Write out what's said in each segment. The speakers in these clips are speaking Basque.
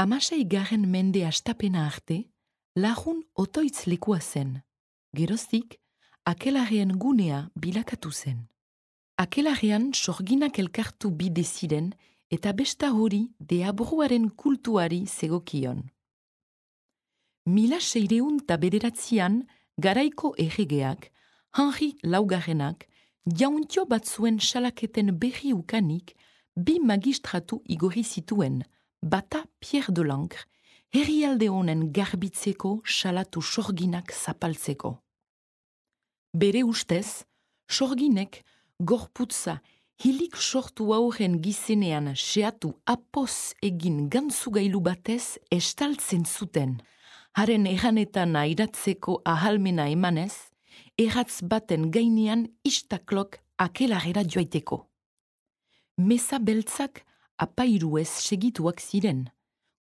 16. mende astapena arte, lagun otoitz lekua zen. Geroztik, akelarrean gunea bilakatu zen. Akelarrean sorginak elkartu bide ziren eta besta hori deabruaren kultuari zegokion. 1609 garaiko erregeak, Henri Laugarrenak, jauntio batzuen salaketen berri ukanik, 2 magistratu igorri zituen, bata Pierre de Lancre, herrialde honen garbitzeko salatu sorginak zapaltzeko. Bere ustez, sorginek gorputza hilik sortu aurren gizenean seatu apoz egin gantzugailu batez estaltzen zuten. Haren erranetan airatzeko ahalmena emanez, erratz baten gainean istaklok akelarera joaiteko. Meza beltzak apairuez segituak ziren.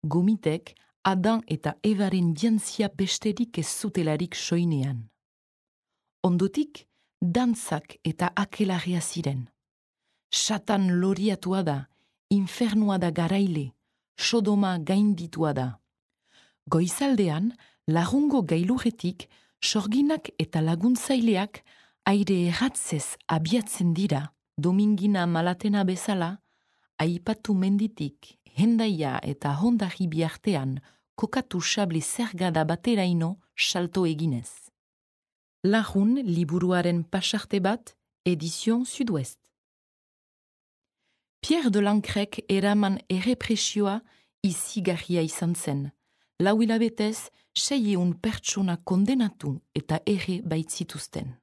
Gomitek Adan eta Evaren jantzia besterik ez zutelarik soinean. Ondotik, dantzak eta akelarria ziren. Satan loriatua da, infernua da garaile, sodoma gainditua da. Goizaldean, lagungo gailurretik, sorginak eta laguntzaileak aire erratzez abiatzen dira, domingina malatena bezala, aipatu menditik, hendaia eta hondarri biartean, kokatu sable zergada bateraino salto eginez. Lagun liburuaren pasarte bat, edizion Sud-Ouest. Pierre de Lancrek eraman errepresioa izigarria izan zen. 4 hilabetez, 600 pertsona kondenatu eta erre baitzituzten.